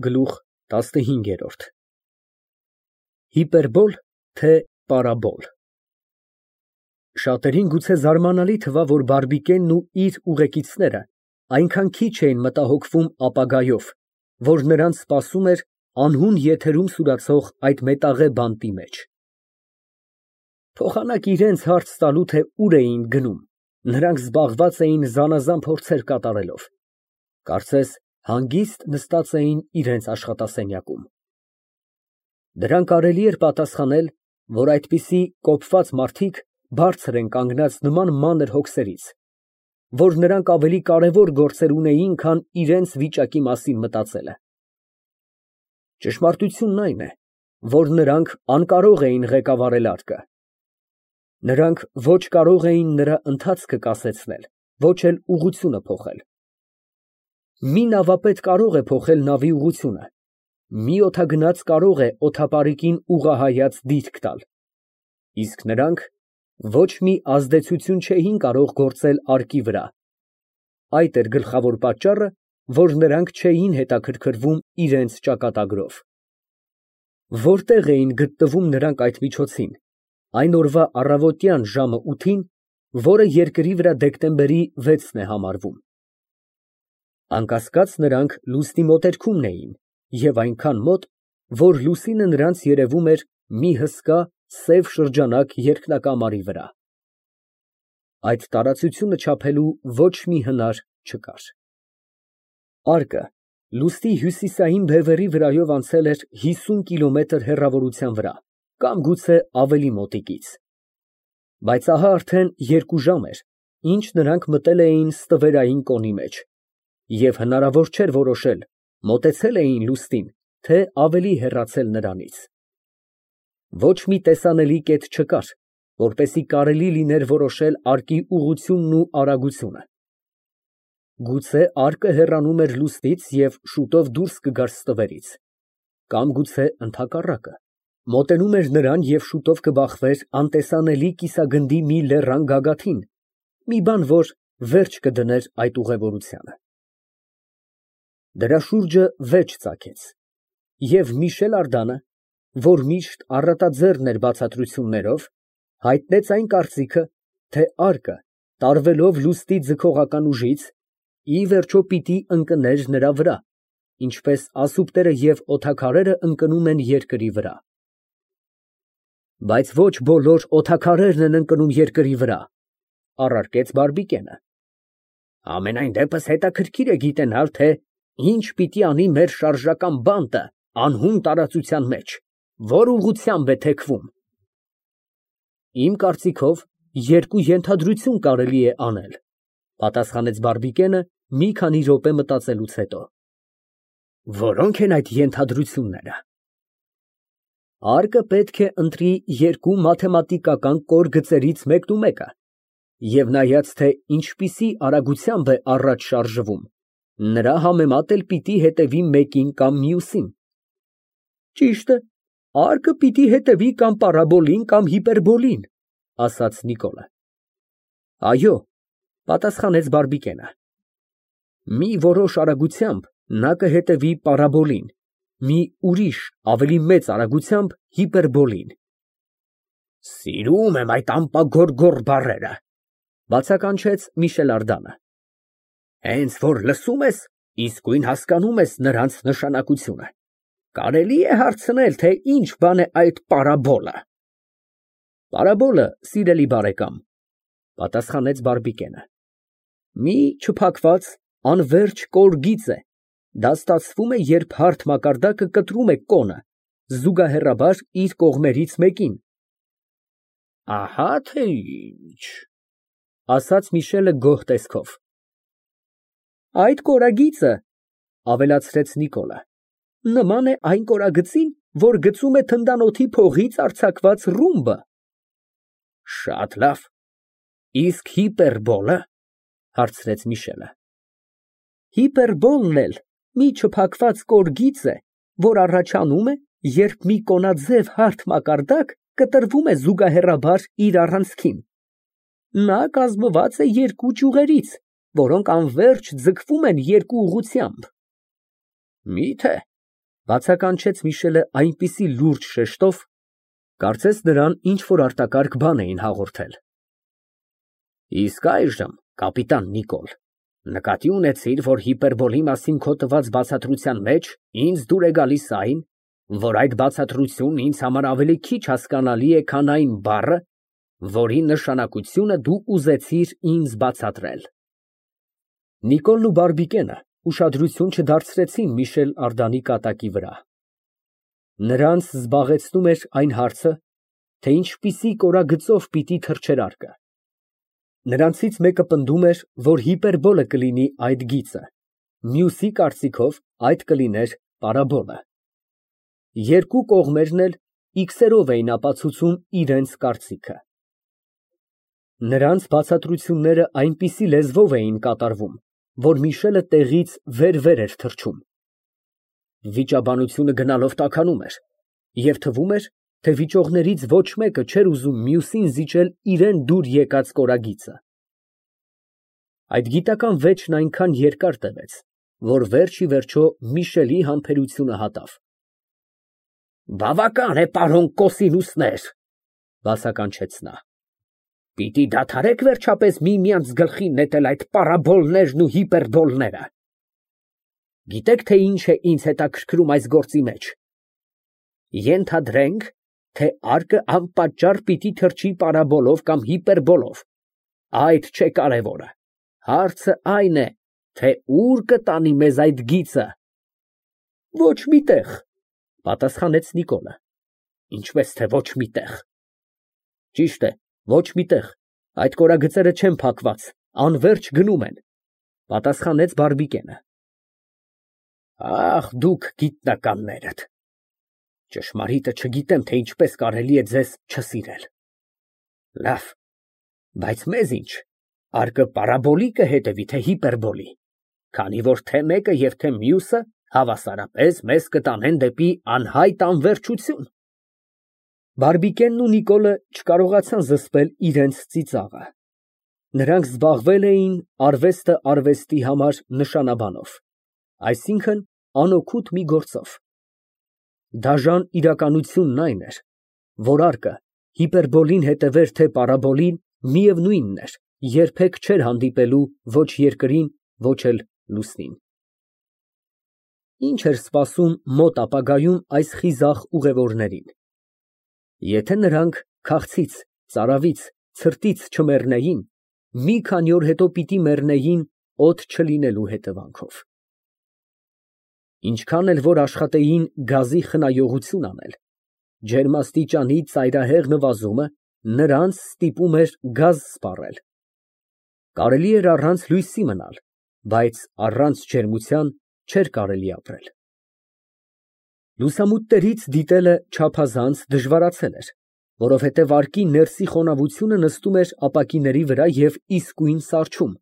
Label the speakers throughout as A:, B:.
A: Գլուխ ՏԱՍՆՀԻՆԳԵՐՈՐԴ Հիպերբոլ, թե պարաբոլ։ Շատերին գուցե զարմանալի թվա, որ բարբիկենն ու իր ուղեկիցները այնքան քիչ էին մտահոգվում ապագայով, որ նրանց սպասում էր անհուն եթերում սուրացող այդ մետաղե բանտի մեջ։ Փոխանակ իրենց հարց տալու, թե ուր էին գնում, նրանք զբաղված էին զանազան փորձեր կատարելով, կարծես հանգիստ նստած էին իրենց աշխատասենյակում։ Դրան կարելի էր պատասխանել, որ այդպիսի կոպված մարդիկ բարձր են կանգնած նման մանր հոգսերից, որ նրանք ավելի կարևոր գործեր ունեին, քան իրենց վիճակի մասին մտածելը։ Ճշմարտությունն այն է, որ նրանք անկարող էին ղեկավարել արկը։ Նրանք ոչ կարող էին նրա ընթացքը կասեցնել, ոչ էլ ուղղությունը փոխել։ Մի նավապետ կարող է փոխել նավի ուղղությունը, մի օդագնաց կարող է օդապարիկին ուղղահայաց դիրք տալ, իսկ նրանք ոչ մի ազդեցություն չէին կարող գործել արկի վրա։ Այդ էր գլխավոր պատճառը, որ նրանք չէին հետաքրքրվում իրենց ճակատագրով։ Որտեղ էին գտնվում նրանք այդ միջոցին, այն օրվա առավոտյան ժամը 8-ին, որը երկրի վրա դեկտեմբերի 6-ն է համարվում։ Անկասկած նրանք լուսնի մոտերքումն էին և այնքան մոտ, որ լուսինը նրանց երևում էր մի հսկա սև շրջանակ երկնակամարի վրա։ Այդ տարածությունը չափելու ոչ մի հնար չկար։ Արկը լուսնի հյուսիսային բևեռի վրայով անցել էր 50 կիլոմետր հեռավորության վրա, կամ գուցե ավելի մոտիկից։ Բայց ահա արդեն 2 ժամ էր, ինչ նրանք մտել էին ստվերային կոնի մեջ, և հնարավոր չէր որոշել մոտեցել էին լուսնին, թե ավելի հեռացել նրանից։ Ոչ մի տեսանելի կետ չկար, որպեսզի կարելի լիներ որոշել արկի ուղղությունն ու արագությունը։ Գուցե արկը հեռանում էր լուսնից և շուտով դուրս կգար ստվերից, կամ գուցե ընդհակառակը, մոտենում էր նրան և շուտով կբախվեր անտեսանելի կիսագնդի մի լեռան գագաթին, մի բան, որ վերջ կդներ այդ ուղևորությանը։ Դրա շուրջը վեճ ծագեց, և Միշել Ардանը, որ միշտ առատաձեռն էր բացատրություններով, հայտնեց այն կարծիքը, թե արկը, տարվելով լուսնի ձգողական ուժից, ի վերջո պիտի ընկներ նրա վրա, ինչպես ասուպտերը և օդաքարերը ընկնում են երկրի վրա։ Բայց ոչ բոլոր օդաքարերն են ընկնում երկրի վրա, առարկեց բարբիկենը։ Համենայն դեպս հետաքրքիր է գիտենալ, թե ինչ պիտի անի մեր շարժական բանտը անհուն տարածության մեջ, որ ուղղությամբ է թեքվում։ Իմ կարծիքով, երկու ենթադրություն կարելի է անել, պատասխանեց բարբիկենը մի քանի րոպե մտածելուց հետո։ Որո՞նք են այդ ենթադրությունները։ Արկը պետք է ընտրի երկու մաթեմատիկական կոր գծերից մեկնումեկը, և նայած, թե ինչպիսի արագությամբ է առաջ շարժվում, նրա համեմատ էլ պիտի հետևի մեկին կամ մյուսին։ Ճիշտ է, արկը պիտի հետևի կամ պարաբոլին, կամ հիպերբոլին, ասաց Նիկոլը։ Այո, պատասխանեց բարբիկենը։ Մի որոշ արագությամբ նա կհետևի պարաբոլին, մի ուրիշ ավելի մեծ արագությամբ հիպերբոլին։ Սիրում եմ այդ ամպագորգոր բառերը, բացականչեց Միշել Ардանը։ Հենց որ լսում ես, իսկույն հասկանում ես նրանց նշանակությունը։ Կարելի է հարցնել, թե ինչ բան է այդ պարաբոլը։ Պարաբոլը, սիրելի բարեկամ, պատասխանեց բարբիկենը, մի չփակված անվերջ կոր գիծ է։ Դա ստացվում է, երբ հարթ մակարդակը կտրում է կոնը, զուգահեռաբար իր կողմերից մեկին։ Ահա թե ինչ, ասաց Միշելը գոհ տեսքով։ Այդ կորագիծը, ավելացրեց Նիկոլը, նման է այն կորագծին, որ գծում է թնդանոթի փողից արձակված ռումբը։ Շատ լավ, իսկ հիպերբոլը, հարցրեց Միշելը։ Հիպերբոլն էլ մի չփակված կոր գիծ է, որ առաջանում է, երբ մի կոնաձև հարթ մակարդակ կտրվում է զուգահեռաբար իր առանցքին։ Նա կազմված է երկու ճյուղերից, որոնք անվերջ ձգվում են երկու ուղղությամբ։ Մի՞թե, Բացականչեց Միշելը այնպիսի լուրջ շեշտով, կարծես նրան ինչ֊որ արտակարգ բան էին հաղորդել։ Իսկ այժմ, կապիտան Նիկոլ, նկատի ունեցիր, որ հիպերբոլի մասին քո տված բացատրության մեջ ինձ դուր է գալիս այն, որ այդ բացատրությունն ինձ համար ավելի քիչ հասկանալի է, քան այն բառը, որի նշանակությունը դու ուզեցիր ինձ բացատրել։ Նիկոլն ու Բարբիկենը ուշադրություն չդարձրեցին Միշել Արդանի կատակի վրա։ Նրանց զբաղեցնում էր այն հարցը, թե ինչպիսի կորագծով պիտի թռչեր արկը։ Նրանցից մեկը պնդում էր, որ հիպերբոլը կլինի այդ գիծը, մյուսի կարծիքով այդ կլիներ պարաբոլը։ Երկու կողմերն էլ իքսերով էին ապացուցում իրենց կարծիքը։ Նրանց բացատրությունները այնպիսի լեզվով էին կատարվում, որ Միշելը տեղից վեր էր թռչում։ Վիճաբանությունը գնալով տաքանում էր, և թվում էր, թե վիճողներից ոչ մեկը չէր ուզում մյուսին զիջել իրան դուր եկած կորագիծը։ Այդ գիտական վեճն այնքան երկար տևեց, որ վերջ ի վերջո Միշելի համբերությունը հատավ։ Բավական է, պարոն Կոսինուսներ, բացականչեց նա։ Պիտի դադարեք վերջապես միմյանց գլխին նետել այդ պարաբոլներն ու հիպերբոլները։ Գիտեք, թե ինչ է ինձ հետաքրքրում այս գործի մեջ։ Ենթադրենք, թե արկը անպատճառ պիտի թռչի պարաբոլով կամ հիպերբոլով։ Այդ չէ կարևորը։ Հարցը այն է, թե ուր կտանի մեզ այդ գիծը։ Ոչ մի տեղ, պատասխանեց Նիկոլը։ Ինչպես թե ոչ մի տեղ։ Ճիշտ է, ոչ մի տեղ։ Այդ կորագծերը չեն փակված, անվերջ գնում են, պատասխանեց Բարբիկենը։ Ախ, դուք գիտնականներդ։ Ճշմարիտը չգիտեմ, թե ինչպես կարելի է ձեզ չսիրել։ Լավ, բայց մեզ ինչ, արկը պարաբոլի կհետևի, թե հիպերբոլի, քանի որ թե մեկը և թե մյուսը հավասարապես մեզ կտանեն դեպի անհայտ անվերջություն։ Բարբիկենն ու Նիկոլը չկարողացան զսպել իրենց ծիծաղը։ Նրանք զբաղվել էին արվեստը արվեստի համար նշանաբանով, այսինքն անօգուտ մի գործով։ Դաժան իրականությունն այն էր, որ արկը հիպերբոլին հետևեր թե պարաբոլին, միևնույնն էր, երբեք չէր հանդիպելու ոչ երկրին, ոչ էլ լուսնին։ Ինչ էր սպասում մոտ ապագայում այս խիզախ ուղևորներին։ Եթե նրանք քաղցից, ծարավից, ցրտից չմեռնեին, մի քանի օր հետո պիտի մեռնեին օդ չլինելու հետևանքով։ Ինչքան էլ որ աշխատեին գազի խնայողություն անել, ջերմաստիճանի ծայրահեղ նվազումը նրանց ստիպում էր գազ սպառել։ Կարելի էր առանց լույսի մնալ, բայց առանց ջերմության չէր կարելի ապրել։ Լուսամուտներից դիտելը չափազանց դժվարացել էր, որովհետև արկի ներսի խոնավությունը նստում էր ապակիների վրա և իսկույն սառչում։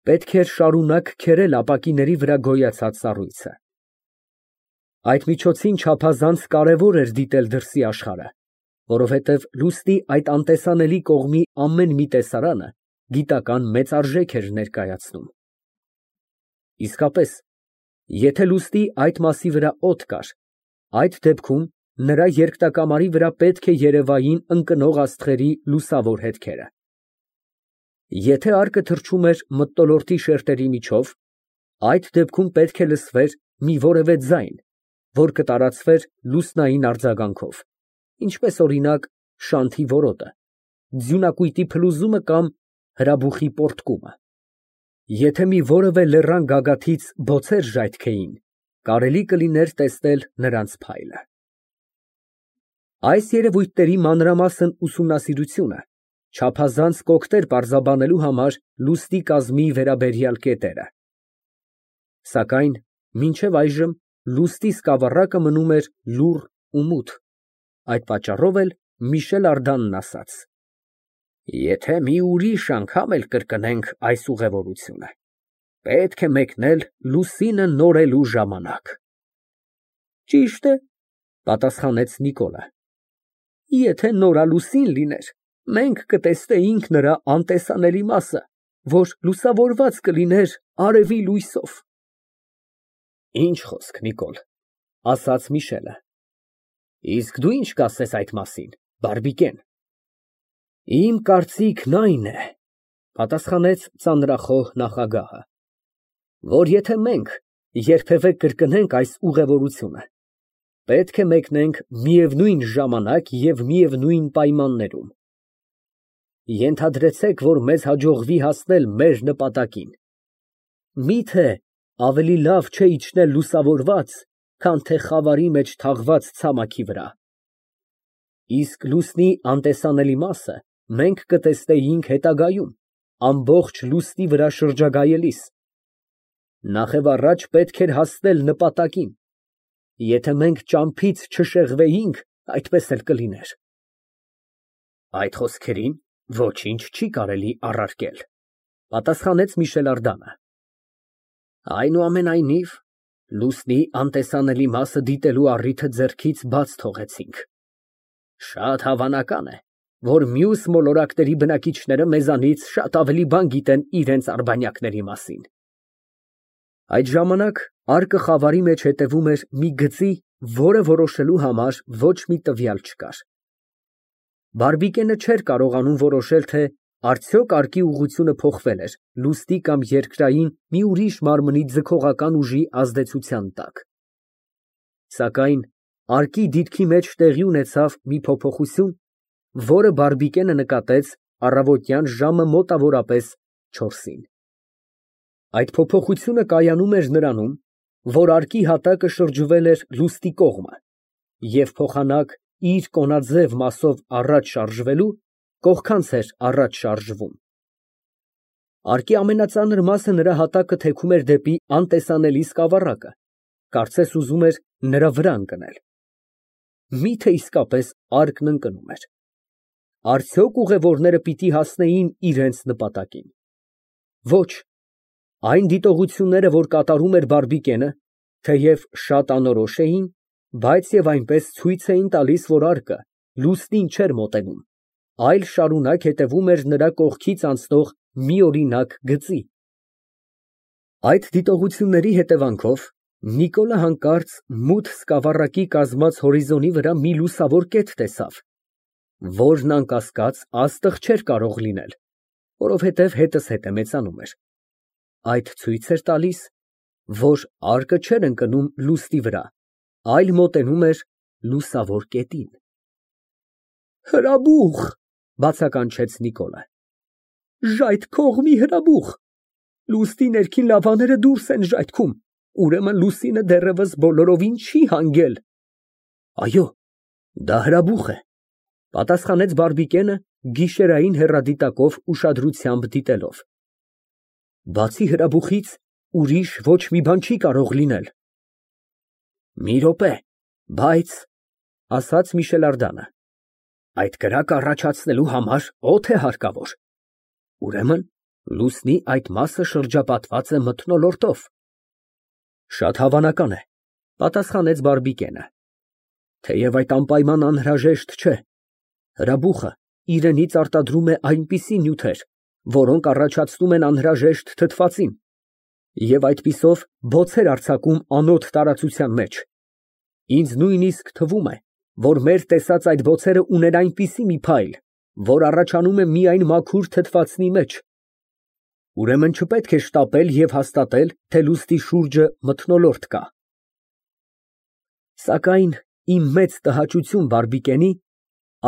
A: Պետք էր շարունակ քերել ապակիների վրա գոյացած սառույցը։ Այդ միջոցին չափազանց կարևոր էր դիտել դրսի աշխարհը, որովհետև լուսնի այդ անտեսանելի կողմի ամեն մի տեսարանը գիտական մեծ արժեք էր ներկայացնում։ Իսկապես, եթե լուսնի այդ մասի վրա օդ կար, այդ դեպքում նրա երկնակամարի վրա պետք է երևային ընկնող աստղերի լուսավոր հետքերը։ Եթե արկը թռչում էր մթնոլորտի շերտերի միջով, այդ դեպքում պետք է լսվեր մի որևէ ձայն, որ կտարածվեր լուսնային արձագանքով, ինչպես օրինակ շանթի որոտը, ձյունակույտի փլուզումը կամ հրաբուխի պոռթկումը։ Եթե մի որևէ լեռան գագաթից բոցեր ժայթքեին, կարելի կլիներ տեսնել նրանց փայլը։ Այս երևույթների մանրամասն ուսումնասիրությունը չափազանց կօգներ պարզաբանելու համար լուսնի կազմի վերաբերյալ կետերը։ Սակայն մինչև այժմ լուսնի սկավառակը մնում էր լուռ ու մութ, այդ պատճառով էլ Միշել Արդանն ասաց. Եթե մի ուրիշ անգամ էլ կրկնենք այս ուղևորությունը, պետք է մեկնել լուսինը նորելու ժամանակ։ Ճիշտ է, պատասխանեց Նիկոլը։ Եթե նորալուսին լիներ, մենք կտեսնեինք նրա անտեսանելի մասը, որ լուսավորված կլիներ արևի լույսով։ Ինչ խոսք, Նիկոլ, ասաց Միշելը։ Իսկ դու ինչ կասես այդ մասին, բարբիկեն։ Իմ կարծիքն այն է, պատասխանեց ծանրախոհ նախագահը, որ եթե մենք երբևէ կրկնենք այս ուղևորությունը, պետք է մեկնենք միևնույն ժամանակ և միևնույն պայմաններում։ Ենթադրեցեք, որ մեզ հաջողվի հասնել մեր նպատակին։ Միթե ավելի լավ չէ իջնել լուսավորված, քան թե խավարի մեջ թաղված ցամաքի վրա։ Իսկ լուսնի անտեսանելի մասը մենք կտեսնեինք հետագայում, ամբողջ լուսնի վրա շրջագայելիս։ Նախևառաջ պետք էր հասնել նպատակին։ Եթե մենք ճամփից չշեղվեինք, այդպես էլ կլիներ։ Այդ խոսքերին ոչինչ չի կարելի առարկել, պատասխանեց Միշել Ардանը։ Այնուամենայնիվ, լուսնի անտեսանելի մասը դիտելու առիթը ձեռքից բաց թողեցինք։ Շատ հավանական է, որ մյուս մոլորակների բնակիչները մեզանից շատ ավելի բան գիտեն իրենց արբանյակների մասին։ Այդ ժամանակ արկը խավարի մեջ հետևում էր մի գծի, որը որոշելու համար ոչ մի տվյալ չկար։ Բարբիկենը չէր կարողանում որոշել, թե արդյոք արկի ուղղությունը փոխվել էր լուսնի կամ երկրային մի ուրիշ մարմնի ձգողական ուժի ազդեցության տակ։ Սակայն արկի դիրքի մեջ տեղի ունեցավ մի փոփոխություն, որը բարբիկենը նկատեց առավոտյան ժամը մոտավորապես 4-ին։ Այդ փոփոխությունը կայանում էր նրանում, որ արկի հատակը շրջվել էր լուսնի կողմը և փոխանակ իր կոնաձև մասով առաջ շարժվելու, կողքանց էր առաջ շարժվում։ Արկի ամենածանր մասը նրա հատակը թեքում էր դեպի անտեսանելի սկավառակը, կարծես ուզում էր նրա վրա ընկնել։ Միթե իսկապես արկն ընկնում էր։ Արդյոք ուղևորները պիտի հասնեին իրենց նպատակին։ Ոչ, այն դիտողությունները, որ կատարում էր բարբիկենը, թեև շատ անորոշ էին, բայց և այնպես ցույց էին տալիս, որ արկը լուսնին չէր մոտենում, այլ շարունակ հետևում էր նրա կողքից անցնող միօրինակ գծի։ Այդ դիտողությունների հետևանքով Նիկոլը հանկարծ մութ սկավառակի կազմած հորիզոնի վրա մի լուսավոր կետ տեսավ, որն անկասկած աստղ չէր կարող լինել, որովհետև հետզհետե մեծանում էր։ Այդ ցույց էր տալիս, որ արկը չէր ընկնում լուսնի վրա, այլ մոտենում էր լուսավոր կետին։ Հրաբուխ, բացականչեց Նիկոլը։ Ժայթքող մի հրաբուխ։ Լուսնի ներքին լավաները դուրս են ժայթքում, ուրեմն լուսինը դեռևս բոլորովին չի հանգել։ Այո, դա հրաբուխ է, պատասխանեց բարբիկենը գիշերային հեռադիտակով ուշադրությամբ դիտելով։ Բացի հրաբուխից ուրիշ ոչ մի բան չի կարող լինել։ Մի րոպե, բայց, ասաց Միշել Ардանը, այդ կրակը առաջացնելու համար օդ է հարկավոր։ Ուրեմն լուսնի այդ մասը շրջապատված է մթնոլորտով։ Շատ հավանական է, պատասխանեց բարբիկենը, թեև այդ անպայման անհրաժեշտ չէ։ Հրաբուխը իրենից արտադրում է այնպիսի նյութեր, որոնք առաջացնում են անհրաժեշտ թթվածին, և այդպիսով բոցեր արձակում անոտ տարածության մեջ։ Ինձ նույնիսկ թվում է, որ մեր տեսած այդ բոցերը ունեն այնպիսի մի փայլ, որ առաջանում է միայն մաքուր թթվածնի մեջ։ Ուրեմն չպետք է շտապել և հաստատել, թե լուսնի շուրջը մթնոլորտ կա։ Սակայն իմ մեծ տհաճություն բարբիկենի,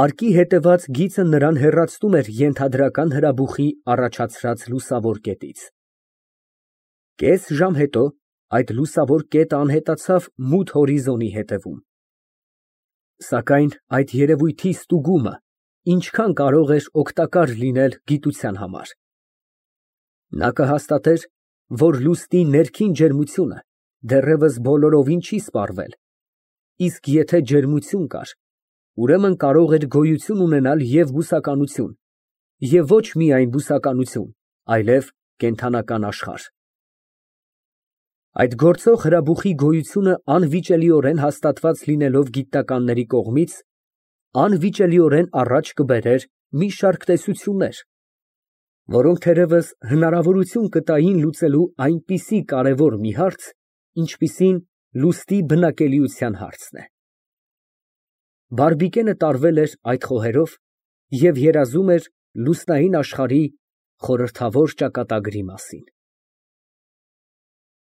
A: արկի հետևած գիծը նրան հեռացնում էր ենթադրական հրաբուխի առաջացրած լուսավոր կետից։ Կես ժամ հետո այդ լուսավոր կետը անհետացավ մութ հորիզոնի հետևում։ Սակայն այդ երևույթի ստուգումը ինչքան կարող էր օգտակար լինել գիտության համար։ Նա կհաստատեր, որ լուսնի ներքին ջերմությունը դեռևս բոլորովին չի սպառվել, իսկ եթե ջերմություն կար, ուրեմն կարող էր գոյություն ունենալ և բուսականություն, և ոչ միայն բուսականություն, այլև կենդանական աշխարհ։ Այդ գործող հրաբուխի գոյությունը անվիճելիորեն հաստատված լինելով գիտնականների կողմից, անվիճելիորեն առաջ կբերեր մի շարք տեսություններ, որոնք թերևս հնարավորություն կտային լուծելու այնպիսի կարևոր մի հարց, ինչպիսին Լուստի բնակելիության հարցն է։ Բարբիկենը տարվել էր այդ խոհերով և երազում էր լուսնային աշխարհի խորհրդավոր ճակատագրի մասին։